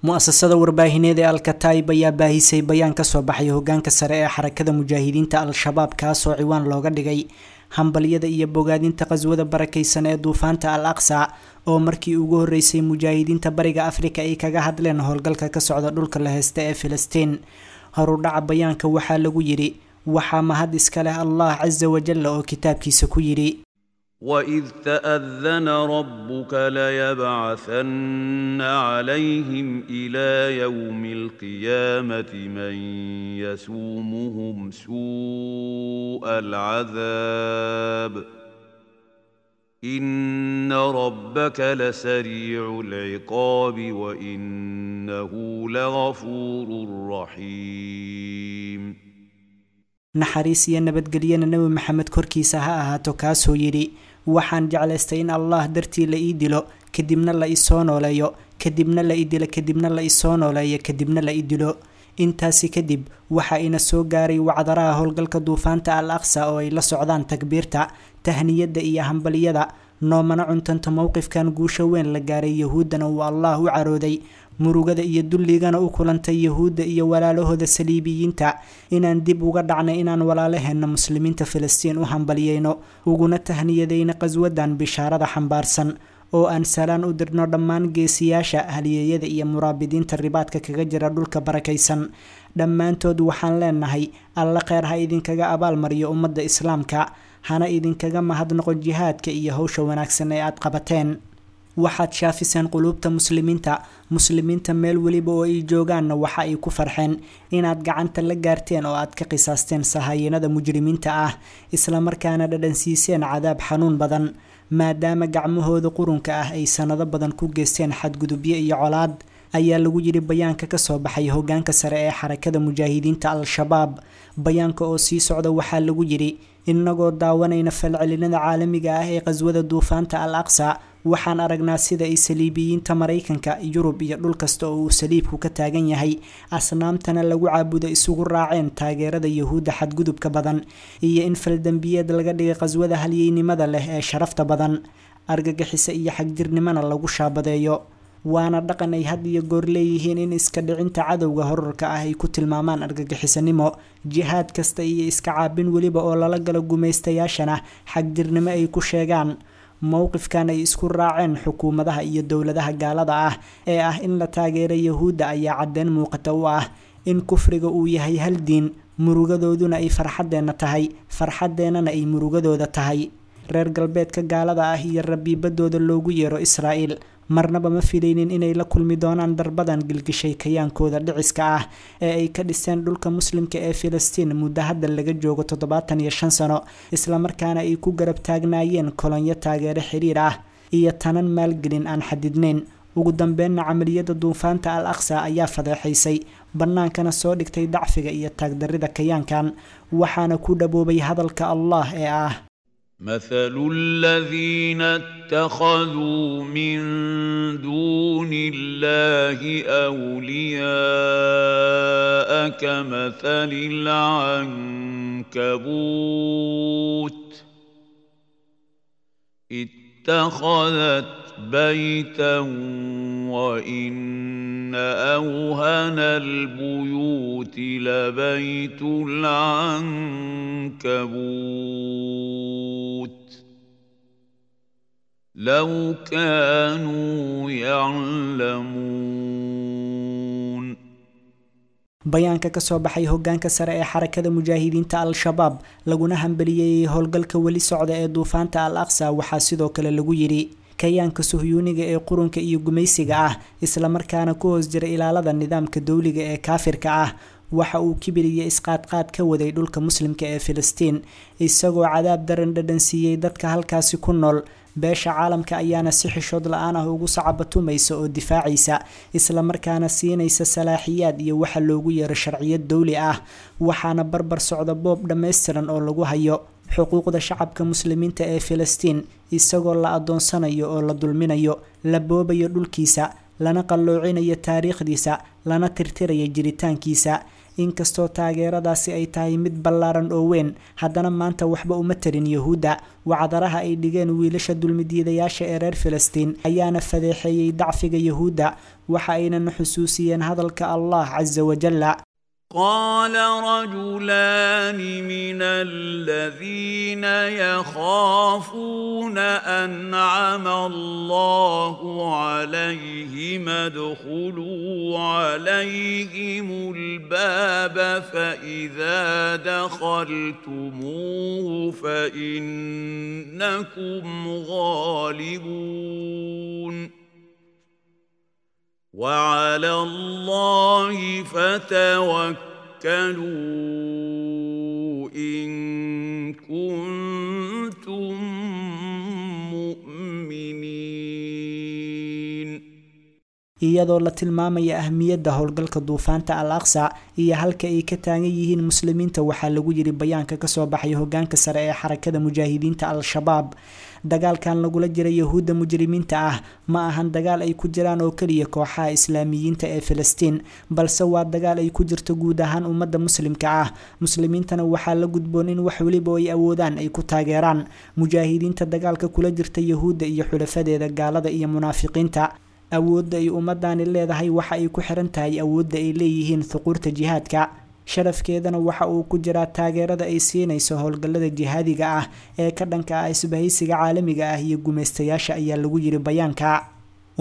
Mu'asasada warbaahineed ee Alkataib ayaa baahisay bayaan ka soo baxay hogaanka sare ee Xarakada Mujaahidiinta Al-Shabaab, kaasoo ciwaan looga dhigay hambalyada iyo bogaadinta qaswada barakaysan ee duufaanta Al Aqsa, oo markii ugu horreysay mujaahidiinta Bariga Afrika ay kaga hadleen howlgalka ka socda dhulka la heysta ee Filistiin. Horudhaca bayaanka waxaa lagu yidhi: waxaa mahad iska leh Allah casa wajalla oo kitaabkiisa ku yidhi: وإذ تأذن ربك ليبعثن عليهم إلى يوم القيامة من يسومهم سوء العذاب إن ربك لسريع العقاب وإنه لغفور رحيم. Naxariis iyo nabadgelyana Nebi Maxamed korkiisa ha ahaato, kaasoo yidhi: waxaan jeclaystay in Allah dartii la ii dilo, kadibna la isoo nooleeyo, kadibna la i dilo, kadibna la isoo nooleeyo, kadibna la i dilo. Intaasi kadib waxaa ina soo gaaray wacdaraha howlgalka duufaanta Al Aqsa oo ay la socdaan takbiirta, tahniyadda iyo hambaliyada. Noomana cuntanta mowqifkan guusha weyn la gaaray, Yahuuddana uu Allah u carooday, murugada iyo dulligana u kulantay Yahuudda iyo walaalahooda saliibiyiinta, inaan dib uga dhacnay inaan walaalaheenna muslimiinta Filistiin u hambaliyeyno, uguna tahniyadayna qaswadan bishaarada xambaarsan, oo aan salaan u dirno dhammaan geesiyaasha, haliyeeyada iyo muraabidiinta ribaadka kaga jira dhulka barakaysan. Dhammaantood waxaan leenahay: Alla kheyr ha idinkaga abaalmariyo ummadda islaamka, hana idinkaga mahadnaqo jihaadka iyo howsha wanaagsan ee aad qabateen. Waxaad shaafiseen quluubta muslimiinta. Muslimiinta meel weliba oo ay joogaanna waxa ay ku farxeen inaad gacanta la gaarteen oo aad ka qisaasteen sahayanada mujrimiinta ah, islamarkaana dhadhansiiseen cadaab xanuun badan, maadaama gacmahooda qurunka ah ay sanado badan ku geysteen xadgudubyo iyo colaad, ayaa lagu yidhi bayaanka kasoo baxay hogaanka sare ee Xarakada Mujaahidiinta Al-Shabaab. Bayaanka oo sii socda waxaa lagu yidhi: inagoo daawanayna falcelinada caalamiga ah ee qaswada duufaanta Al Aqsa, waxaan aragnaa sida ay saliibiyiinta Maraykanka, Yurub iyo dhul kasta oo uu saliibku ka taagan yahay, asnaamtana lagu caabudo, isugu raaceen taageerada Yahuudda xadgudubka badan, iyo in faldembiyeed laga dhigay qaswada halyeynimada leh ee sharafta badan, argagixisa iyo xagjirnimana lagu shaabadeeyo. Waana dhaqan ay had iyo goor leeyihiin in iska dhicinta cadowga horarka ah ay ku tilmaamaan argagixisanimo, jihaad kasta iyo iska caabin weliba oo lala galo gumaystayaashana xagjirnimo ay ku sheegaan. Mowqifkan ay isku raaceen xukuumadaha iyo dowladaha gaalada ah ee ah in la taageero Yahuudda ayaa caddeyn muuqata u ah in kufriga uu yahay hal diin, murugadooduna ay farxaddeenna tahay, farxaddeenana ay murugadooda tahay. Reer galbeedka gaalada ah iyo rabiibadooda loogu yeero Israa'iil marnaba ma filaynin inay la kulmi doonaan darbadan gilgishay kayaankooda dhiciska ah ee ay ka dhiseen dhulka muslimka ee Filistiin muddo hadda laga joogo 75 sano, islamarkaana ay ku garab taagnaayeen kolonyo taageero xiriir ah iyo tanan maalgelin aan xadidnayn. Ugu dambeynna camaliyada duufaanta Al Aqsa ayaa fadeexaysay, bannaankana soo dhigtay dacfiga iyo taagdarrida kayaankan, waxaana ku dhaboobay hadalka Allah ee ah: مثل الذين اتخذوا من دون الله أولياء كمثل العنكبوت اتخذت بيتا وإن أوهن البيوت لبيت العنكبوت لو كانوا يعلمون. Bayaanka kasoo baxay hogaanka sare ee Xarakada Mujaahidiinta Al-Shabaab, laguna hambaliyeeyey howlgalka weli socda ee duufaanta Al Aqsa, waxaa sidoo kale lagu yidhi: kayaanka suhyuuniga ee qurunka iyo gumaysiga ah, islamarkaana ku hoos jira ilaalada nidaamka dowliga ee kaafirka ah, waxa uu kibir iyo isqaadqaad ka waday dhulka muslimka ee Filistiin, isagoo cadaab daran dhadhansiiyey dadka halkaasi ku nool. Beesha caalamka ayaana si xishood la-aan ah ugu sacabatumaysa oo difaacaysa, islamarkaana siinaysa salaaxiyaad iyo waxa loogu yeero sharciyad dowli ah. Waxaana barbar socda boob dhammaystiran oo lagu hayo xuquuqda shacabka muslimiinta ee Filistiin, isagoo la adoonsanayo oo la dulminayo, la boobayo dhulkiisa, lana qalloocinayo taariikhdiisa, lana tirtirayo jiritaankiisa, Inkastoo taageeradaasi ay tahay mid ballaaran oo weyn, haddana maanta waxba uma tarin Yahuudda. Wacdaraha ay dhigeen wiilasha dulmidiidayaasha ee reer Filistiin ayaana fadeexeeyey dacfiga Yahuudda, waxa aynana xusuusiyeen hadalka Allah casa wajalla: قال رجلان من الذين يخافون أنعم الله عليهم ادخلوا عليهم الباب فإذا دخلتموه فإنكم غالبون وعلى الله فتوكلوا إن كنتم مؤمنين. Iyadoo la tilmaamaya ahmiyadda howlgalka duufaanta Al Aqsa iyo halka ay ka taagan yihiin muslimiinta, waxaa lagu yiri bayaanka kasoo baxay hogaanka sare ee Xarakada Mujaahidiinta Al-Shabaab: dagaalkan lagula jira Yahuudda mujrimiinta ah ma ahan dagaal ay ku jiraan oo keliya kooxaha islaamiyiinta ee Filistiin, balse waa dagaal ay ku jirto guud ahaan ummadda muslimka ah. Muslimiintana waxaa la gudboon in wax weliba ay awoodaan ay ku taageeraan mujaahidiinta dagaalka kula jirta Yahuudda iyo xulafadeeda gaalada iyo munaafiqiinta. Awoodda ay ummadani leedahay waxa ay ku xiran tahay awoodda ay leeyihiin thuquurta jihaadka. Sharafkeedana waxa uu ku jiraa taageerada ay siinayso howlgallada jihaadiga ah ee ka dhanka ah isbahaysiga caalamiga ah iyo gumaystayaasha, ayaa lagu yiri bayaanka.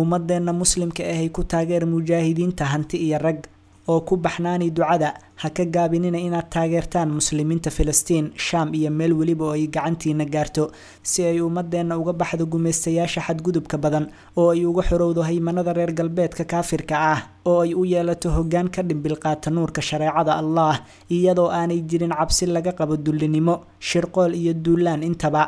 Ummadeenna muslimka ahay, ku taageer mujaahidiinta hanti iyo rag, oo ku baxnaani ducada. Ha ka gaabinina inaad taageertaan muslimiinta Filistiin, Shaam iyo meel weliba oo ay gacantiina gaarto, si ay ummadeenna uga baxdo gumaystayaasha xadgudubka badan, oo ay uga xorowdo haymanada reer galbeedka kaafirka ah, oo ay u yeelato hoggaan ka dhimbil qaata nuurka shareecada Allah, iyadoo aanay jirin cabsi laga qabo dullinimo, shirqool iyo duulaan intaba,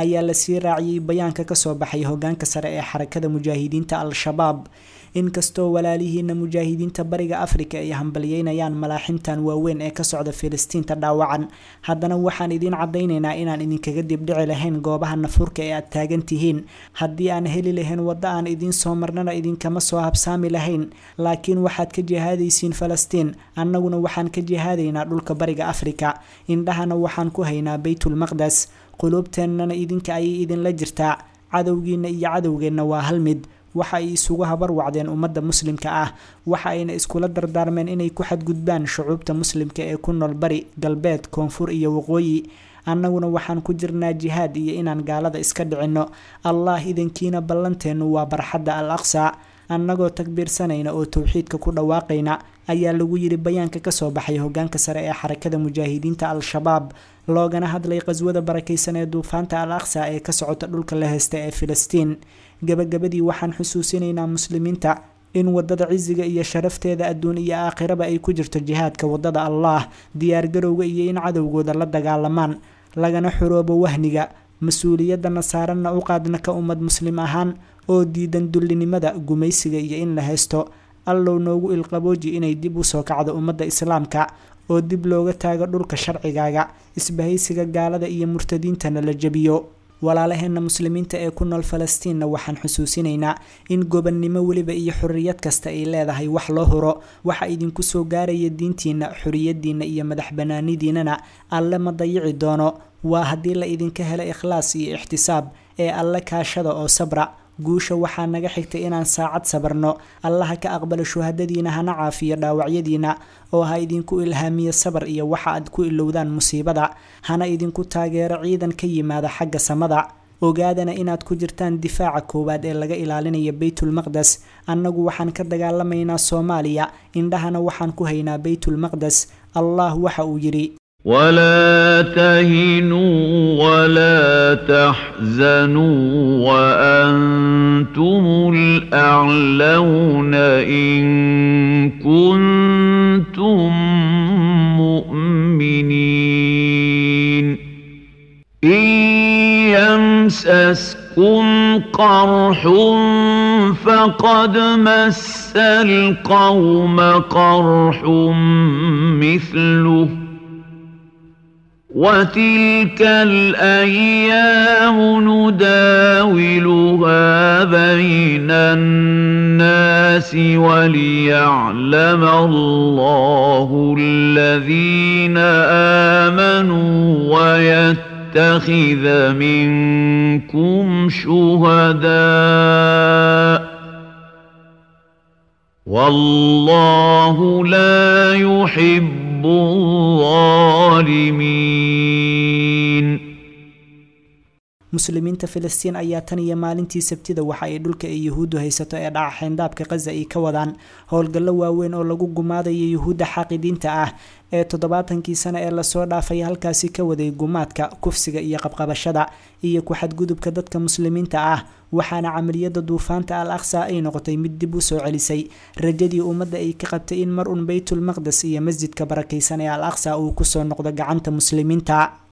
ayaa lasii raaciyey bayaanka kasoo baxay hogaanka sare ee Xarakada Mujaahidiinta Al-Shabaab. Inkastoo walaalihiina mujaahidiinta Bariga Afrika ay hambalyeynayaan malaaximtan waaweyn ee ka socda Filistiinta dhaawacan, haddana waxaan idiin caddaynaynaa inaan idinkaga dibdhici lahayn goobaha nafuurka ee aad taagan tihiin. Haddii aan heli lahayn waddo aan idiin soo marnana, idinkama soo habsaami lahayn. Laakiin waxaad ka jihaadaysiin Falastiin, annaguna waxaan ka jihaadaynaa dhulka Bariga Afrika. Indhahana waxaan ku haynaa Baytulmaqdes, quluubteennana idinka ayay idinla jirtaa. Cadowgiina iyo cadowgeenna waa hal mid. Waxa ay isugu habar wacdeen ummadda muslimka ah, waxa ayna iskula dardaarmeen inay ku xadgudbaan shucuubta muslimka ee ku nool bari, galbeed, koonfur iyo waqooyi. Annaguna waxaan ku jirnaa jihaad iyo inaan gaalada iska dhicinno, Allah idankiina. Ballanteennu waa barxadda Al Aqsa, annagoo takbiirsanayna oo towxiidka ku dhawaaqayna, ayaa lagu yiri bayaanka kasoo baxay hogaanka sare ee Xarakada Mujaahidiinta Al-Shabaab, loogana hadlay qaswada barakaysan ee duufaanta Al Aqsa ee ka socota dhulka la heysta ee Filistiin. Gabagabadii, waxaan xusuusinaynaa muslimiinta in wadada cisiga iyo sharafteeda adduun iyo aakhiraba ay ku jirto jihaadka wadada Allah, diyaargarowga iyo in cadowgooda la dagaalamaan, lagana xoroobo wahniga. Mas-uuliyadana saaranna u qaadna ka ummad muslim ahaan oo diidan dullinimada, gumaysiga iyo in la haysto. Allow noogu ilqabooji inay dib usoo kacdo ummadda islaamka, oo dib looga taago dhulka sharcigaaga, isbahaysiga gaalada iyo murtadiintana la jebiyo. Walaalaheenna muslimiinta ee ku nool Falastiinna waxaan xusuusinaynaa in gobannimo weliba iyo xorriyad kasta ay leedahay wax loo huro. Waxa idinku soo gaaraya diintiinna, xorriyadiinna iyo madax banaanidiinana Alle ma dayici doono, waa haddii la idinka helo ikhlaas iyo ixtisaab. Ee Alle kaashada oo sabra. Guusha waxaa naga xigtay inaan saacad sabarno. Allaha ka aqbalo shuhadadiina, hana caafiyo dhaawacyadiina, oo ha idinku ilhaamiyo sabar iyo waxa aad ku ilowdaan musiibada, hana idinku taageero ciidan ka yimaada xagga samada. Ogaadana inaad ku jirtaan difaaca koowaad ee laga ilaalinayo Baytulmaqdes. Annagu waxaan ka dagaalamaynaa Soomaaliya, indhahana waxaan ku haynaa Baytulmaqdes. Allah waxa uu yidhi: ولا تهنوا ولا تحزنوا وأنتم الأعلون إن كنتم مؤمنين. إن يمسسكم قرح فقد مس القوم قرح مثله. وتلك الأيام نداولها بين الناس وليعلم الله الذين آمنوا ويتخذ منكم شهداء والله لا يحب الظالمين. Muslimiinta Filistiin ayaa tan iyo maalintii Sabtida waxa ay dhulka ay Yuhuuddu haysato ee dhaca xeyndaabka Qaza ay ka wadaan howlgallo waaweyn oo lagu gumaadayo Yuhuudda xaaqidiinta ah ee 70kii sano ee lasoo dhaafay halkaasi ka waday gumaadka, kufsiga iyo qabqabashada iyo ku xadgudubka dadka muslimiinta ah. Waxaana camaliyada duufaanta Al Aqsa ay noqotay mid dib u soo celisay rajadii ummadda ay ka qabtay in mar un Baytul Maqdes iyo masjidka barakaysan ee Al Aqsa uu kusoo noqdo gacanta muslimiinta.